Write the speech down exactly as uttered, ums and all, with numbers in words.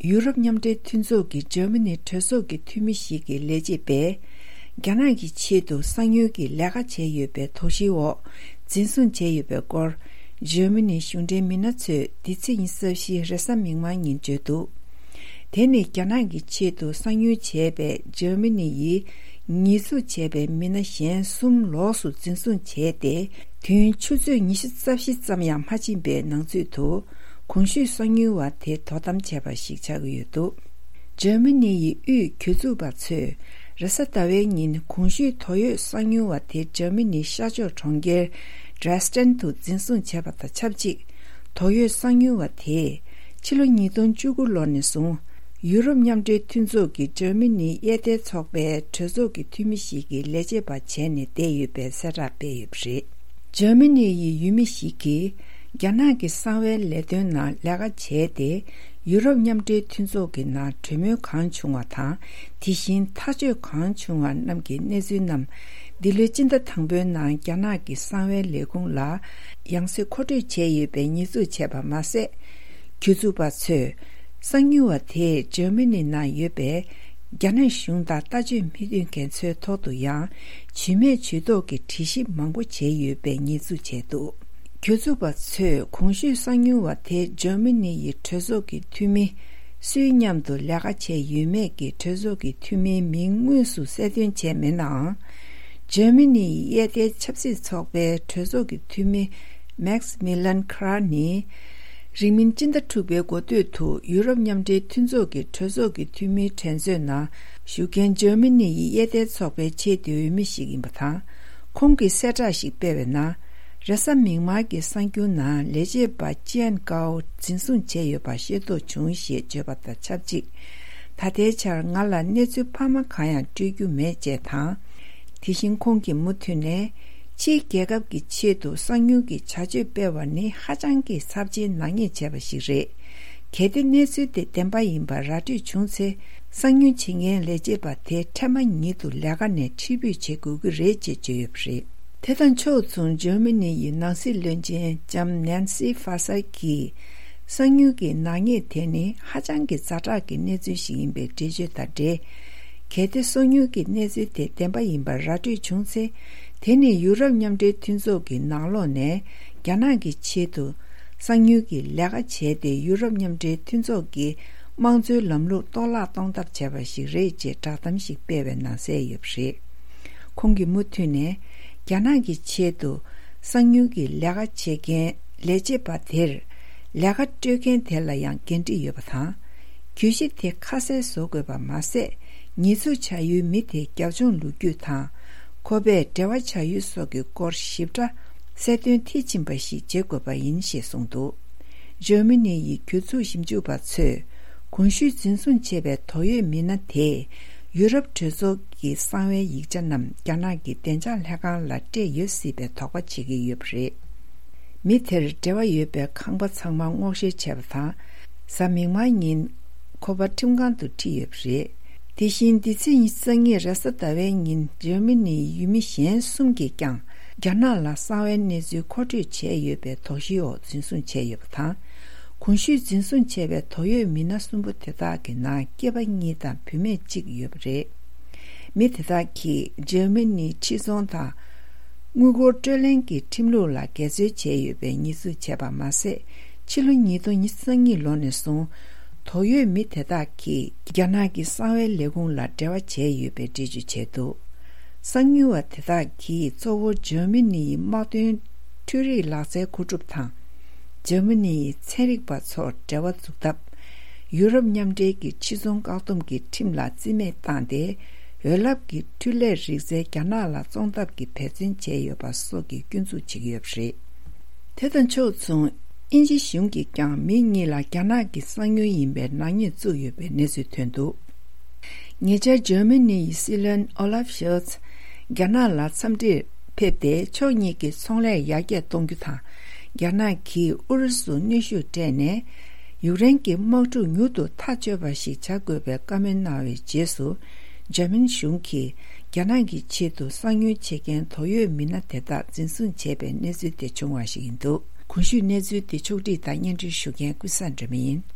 ཡུ་རོབ་མཉམ་འབྲེལ་མཐུན་ཚོགས་ཀྱི་འཇར་མ་ནི་གྲོས་ཚོགས་ཀྱི་འཐུས་མི་ཞིག་གི་ལས་བྱེད་པས། རྒྱ་ནག་གི་ཆེད་དུ་གསང་ཉུལ་གྱི་ལས་ཀ་བྱས་ཡོད་པའི་དོགས་གཞིའི་འོག་འཛིན་བཟུང་བྱས་ཡོད་པའི་སྐོར། འཇར་མ་ནིའི་གཞུང་འབྲེལ་མི་སྣ་ཚོས་འདི་ཚེས་ཉི་ཤུ་རྩ་བཞི་རེས་གཟའ་མིག་དམར་ཉིན་བརྗོད་འདུག་དེ་ནི་རྒྱ་ནག་གི་ཆེད་དུ་གསང་ཉུལ་བྱས་པའི་འཇར་མ་ནི་ཡིས་ཉེས་འཛུགས་བྱས་པའི་མི་སྣ་གཞན་གསུམ་ལོགས་སུ་འཛིན་བཟུང་བྱས་ཏེ། དུས་ཡུན་ཆུ་ཚོད་ཉི་ཤུ་རྩ་བཞི་ཙམ་ཡང་མ་ཕྱིན་པའི་ནང་ཚུད་དུ། གོང་ཞུས་གསང་ཉུལ་བ་དེ་དོ་དམ་བྱས་པ་ཞིག་ཆགས་ཀྱི་ཡོད་འདུག་འཇར་མ་ནི་ཡི་དབུས་གྱོད་འཛུགས་པ་ཚོས་རེས་གཟའ་ཟླ་བའི་ཉིན་གོང་ཞུས་དོགས་ཡོད་གསང་ཉུལ་བ་དེ་འཇར་མ་ནིའི་ཤར་ཕྱོགས་གྲོང་ཁྱེར་Dresden་དུ་འཛིན་བཟུང་བྱས་པ་དང་ཆབས་ཅིག་དོགས་ཡོད་གསང་ཉུལ་བ་དེས་ཕྱི་ལོ་ཉིས་སྟོང་བཅུ་དགུ་ལོ་ནས་བཟུང་ཡུ་རོབ་མཉམ་འབྲེལ་མཐུན་ཚོགས་ཀྱི་འཇར་མ་ནིའི་དབྱེ་ཐལ་ཚོགས་པའི་གྲོས་ཚོགས་ཀྱི་འཐུས་མི་ཞིག་གི་ལས་བྱེད་པ་བྱས་ནས་བསྡད་ཡོད་པའི་གསལ་བསྒྲགས་སྤེལ་ཡོད་པ་རེད། འཇར་མ་ནི་ཡི་ཡུལ་མི་ཞིག་གིས་རྒྱ་ནག་གི་གསང་བའི་ལས་དོན་ནང་ལས་ཀ་བྱས་ཏེ། ཡུ་རོབ་མཉམ་འབྲེལ་མཐུན་ཚོགས་ཀྱི་ནང་གྲོས་མོལ་གང་བྱུང་བ་དང་། དེ་བཞིན་ཐག་གཅོད་གང་བྱུང་བ་རྣམས་ཀྱི་གནས་ཚུལ་རྣམས། འདི་ལོའི་སྤྱི་ཟླ་དང་པོའི་ནང་རྒྱ་ནག་གི་གསང་བའི་ལས་ཁུངས་ལ་ཡང་སེ་མཁོ་སྤྲོད་བྱས་ཡོད་པའི་ཉེས་འཛུགས་བྱས་པ་མ་ཟད། གྱོད་འཛུགས་པ་ཚོས་གསང་ཉུལ་བ་དེས་འཇར་མ་ནི་ནང་ཡོད་པའི་རྒྱ་ནག་གཞུང་དང་ལྟ་སྤྱོད་མི་མཐུན་མཁན་ཚོའི་ཐོག་ཏུ་ཡང་ཇུས་མེད་ཇུས་གཏོགས་ཀྱི་དྲི་ཞིབ་མང་པོ་བྱས་ཡོད་པའི་ཉེས་འཛུགས་བྱས་འདུག་གྱོད་འཛུགས་པ་ཚོས་གོང་ཞུས་གསང་ཉུལ་བ་དེ་འཇར་མ་ནི་ཡི་གྲོས་ཚོགས་ཀྱི་འཐུས་མི་སུའི་མཉམ་དུ་ལས་ཀ་བྱས་ཡོད་མེད་ཀྱི་གྲོས་ཚོགས་ཀྱི་འཐུས་མིའི་མིང་དངོས་སུ་གསལ་སྟོན་བྱས་མེད་ནའང་། འཇར་མ་ནི་ཡི་དབྱེ་ཐལ་ཆབ་སྲིད་ཚོགས་པའི་གྲོས་ཚོགས་ཀྱི་འཐུས་མི་Maximilian Krah་ནི། རིང་མིན་སྤྱི་ཟླ་དྲུག་པའི་འགོ་སྟོད་དུ་ཡུ་རོབ་མཉམ་འབྲེལ་མཐུན་ཚོགས་ཀྱི་གྲོས་ཚོགས་ཀྱི་འཐུས་མིའི་འགྲན་རྩོད་ནང་ཞུགས་མཁན་འཇར་མ་ནི་ཡི་དབྱེ་ཐལ་ཚོགས་པའི་ཆེས་མཐོའི་འོས་མི་ཞིག་ཡིན་པ་དང་། ཁོང་གིས་གསལ་བསྒྲགས་ཤིག་སྤེལ་བའི་ནང་། རེས་གཟའ་མིག་དམར་གྱི་གསར་འགྱུར་ནང་ལས་བྱེད་པ་ཅི་ཨན་ཀའོ་འཛིན་བཟུང་བྱས་ཡོད་པ་ཤེས་རྟོགས་བྱུང་ཞེས་བརྗོད་པ་དང་ཆབས་ཅིག་ད་ལྟའི་ཆར་ང་ལ་གནས་ཚུལ་འཕར་མ་གང་ཡང་སྤྲོད་རྒྱུ་མེད་ཅེས་དང་། དེ་བཞིན་ཁོང་གིས་མུ་མཐུད་ནས། ཕྱིའི་རྒྱལ་ཁབ་ཀྱི་ཆེད་དུ་གསང་ཉུལ་གྱི་བྱ་སྤྱོད་སྤེལ་བ་ནི་ཧ་ཅང་གི་ཚབས་ཆེའི་ནག་ཉེས་བྱས་པ་ཞིག་རེད། གལ་ཏེ་གནས་ཚུལ་དེ་བདེན་པ་ཡིན་པ་ར་སྤྲོད་བྱུང་ཚེ། གསང་ཉུལ་བྱེད་མཁན་ལས་བྱེད་པ་དེ་འཕྲལ་མ་ཉིད་དུ་ལས་ཀ་ནས་ཕྱིར་འབུད་བྱེད་དགོས་ཀྱི་རེད་ཅེས་བརྗོད་ཡོད་པ་རེད། དེ་དང་ཕྱོགས་མཚུངས་འཇར་མ་ནི་ཡི་ནང་སྲིད་བློན་ཆེན་ལྕམ་ནན་སི་ཧྥ་སར་གྱིས། གསང་ཉུལ་གྱི་ནག་ཉེས་དེ་ནི་ཧ་ཅང་གི་ཛ་དྲག་གི་གནས་ཚུལ་ཞིག་ཡིན་པའི་འགྲེལ་བརྗོད་དང་འབྲེལ། གལ་ཏེ་གསང་ཉུལ་གྱི་གནས་ཚུལ་དེ་བདེན་པ་ཡིན་པར་ར་སྤྲོད་བྱུང་ཚེ། དེ་ནི་ཡུ་རོབ་མཉམ་འབྲེལ་མཐུན་ཚོགས་ཀྱི་ནང་ལོགས་ནས་རྒྱ་ནག་གི་ཆེད་དུ་གསང་ཉུལ་གྱི་ལས་ཀ་བྱས་ཏེ། ཡུ་རོབ་མཉམ་འབྲེལ་མཐུན་ཚོགས་ཀྱི་དམངས་གཙོའི་ལམ་ལུགས་གཏོར་བརླག་གཏོང་ཐབས་བྱས་པ་ཞིག་རེད་ཅེས་བསྒྲགས་གཏམ་ཞིག་སྤེལ་བའི་ནང་གསལ་ཡོད་པ་རེད། ཁོང་གིས་མུ་མཐུད་ནས། རྒྱ་ནག་གི་ཆེད་དུ་གསང་ཉུལ་གྱི་ལས་ཀ་བྱེད་མཁན་ལས་བྱེད་པ་དེར། ལས་ཀ་སྤྲོད་མཁན་དེ་ལ་ཡང་འགན་འཁྲི་ཡོད་པ་དང་། གྱོད་གཞི་དེ་ཁ་གསལ་བཟོ་དགོས་པ་མ་ཟད། ཉེས་འཛུགས་བྱ་ཡུལ་མི་དེའི་རྒྱབ་ལྗོངས་ལོ་རྒྱུས་དང་། ཁོ་པས་འབྲེལ་བ་བྱ་ཡུལ་སོགས་ཀྱི་སྐོར་ཞིབ་ཕྲ་གསལ་སྟོན་མཐིལ་ཕྱིན་པ་ཞིག་བྱེད་དགོས་པ་ཡིན་ཞེས་གསུངས་འདུག་འཇར་མ་ནི་ཡི་གྱོད་འཛུགས་ཞིབ་འཇུག་པ་ཚོས། གོང་ཞུས་འཛིན་བཟུང་བྱས་པའི་དོགས་ཡོད་མི་སྣ་དེས། ཡུ་རོབ་གྲོས་ཚོགས་ཀྱི་གསང་བའི་ཡིག་ཆ་རྣམས་རྒྱ་ནག་གི་བདེ་འཇགས་ལྷན་ཁང་ལ་སྤྲད་ཡོད་སྲིད་པའི་དོགས་པ་བྱེད་ཀྱི་ཡོད་པ་རེད། མི་དེར་འབྲེལ་བ་ཡོད་པའི་ཁང་པ་ཚང་མ་སྔོག་བཤེར་བྱས་པ་དང་། གཟའ་མིག་དམར་ཉིན་ཁོ་པ་ཁྲིམས་ཁང་དུ་ཁྲིད་ཡོད་པ་རེད། དེ་བཞིན་འདི་ཚེས་ཉི་ཤུ་རྩ་གཉིས་རེས་གཟའ་ཟླ་བའི་ཉིན་འཇར་མ་ནིའི་ཡུལ་མི་གཞན་གསུམ་གྱིས་ཀྱང་རྒྱ་ནག་ལ་གསང་བའི་གནས་ཚུལ་མཁོ་སྤྲོད་བྱས་ཡོད་པའི་དོགས་གཞིའི་འོག་འཛིན་བཟུང་བྱས་ཡོད་པ་དང་། གོང་ཞུས་འཛིན་བཟུང་བྱས་པའི་དོགས་ཡོད་མི་སྣ་གསུམ་པོ་དེ་དག་གི་ནང་སྐྱེས་པ་གཉིས་དང་བུད་མེད་གཅིག་ཡོད་པ་རེད། མི་དེ་དག་གིས་འཇར་མ་ནིའི་ཁྲི་ཚང་དང་། དངུལ་སྒོར་སྤྲོད་ལེན་གྱི་ཁྲིམས་ལུགས་ལ་འགལ་འཛོལ་བྱས་ཡོད་པའི་ཉེས་འཛུགས་བྱས་པ་མ་ཟད། ཕྱི་ལོ་ཉིས་སྟོང་ཉི་ཤུ་རྩ་གཉིས་ལོ་ནས་བཟུང་། དོགས་ཡོད་མི་དེ་དག་གིས་རྒྱ་ནག་གི་གསང་བའི་ལས་ཁུངས་ལ་འབྲེལ་བ་བྱས་ཡོད་པའི་འགྲེལ་བརྗོད་བྱས་འདུག་གསང་ཉུལ་བ་དེ་དག་གིས་གཙོ་བོ་འཇར་མ་ནིའི་དམག་དོན་འཕྲུལ་རིག་ལག་རྩལ་མཁོ་སྒྲུབ་དང་། འཇར་མ་ནིའི་ཚན་རིག་པ་ཚོར་འབྲེལ་བ་འཛུགས་ཐབས། ཡུ་རོབ་མཉམ་འབྲེལ་གྱི་ཕྱི་ཚོང་བཀག་སྡོམ་གྱི་ཁྲིམས་ལ་རྩིས་མེད་བཏང་སྟེ། འོད་རླབས་ཀྱི་འཕྲུལ་ལས་རིག་རྩལ་རྒྱ་ནག་ལ་བཙོང་ཐབས་ཀྱི་འབད་བརྩོན་བྱས་ཡོད་པ་སོགས་ཀྱི་སྐྱོན་འཛུགས་བྱེད་ཀྱི་ཡོད་པ་རེད། དེ་དང་ཕྱོགས་མཚུངས། དབྱིན་ཇི་གཞུང་གིས་ཀྱང་མི་གཉིས་ལ་རྒྱ་ནག་གི་གསང་ཉུལ་ཡིན་པའི་ནག་ཉེས་བཙུགས་ཡོད་པའི་གནས་ཚུལ་ཐོན་འདུག་ཉེ་ཆར་འཇར་མ་ནི་ཡི་སྲིད་བློན་ཨོ་ལབ་ཤོལ་ཚ་རྒྱ་ནག་ལ་འཚམས་འདྲིར་ཕེབས་ཏེ། ཕྱོགས་གཉིས་ཀྱི་ཚོང་ལས་ཡར་རྒྱས་གཏོང་རྒྱུ་དང་། རྒྱ་ནག་གིས་ཨུ་རུ་སུར་གནོན་ཤུགས་སྤྲད་ནས། ཡུཀ་རེན་གྱི་དམག་འཁྲུག་མྱུར་དུ་ཐག་གཅོད་པ་ཞིག་བྱ་དགོས་པའི་བཀའ་མོལ་གནང་བའི་རྗེས་སུ། འཇར་མན་གཞུང་གིས་རྒྱ་ནག་གི་ཆེད་དུ་གསང་ཉུལ་བྱེད་མཁན་དོགས་ཡོད་མི་སྣ་དེ་དག་འཛིན་བཟུང་བྱས་པའི་གནས་ཚུལ་དེ་བྱུང་བ་ཞིག་ཡིན་འདུག་གོང་ཞུས་གནས་ཚུལ་དེ་ཕྱོགས་སྒྲིག་དང་སྙན་སྒྲོན་ཞུ་མཁན་ཀུན་བཟང་སྒྲོལ་མ་ཡིན།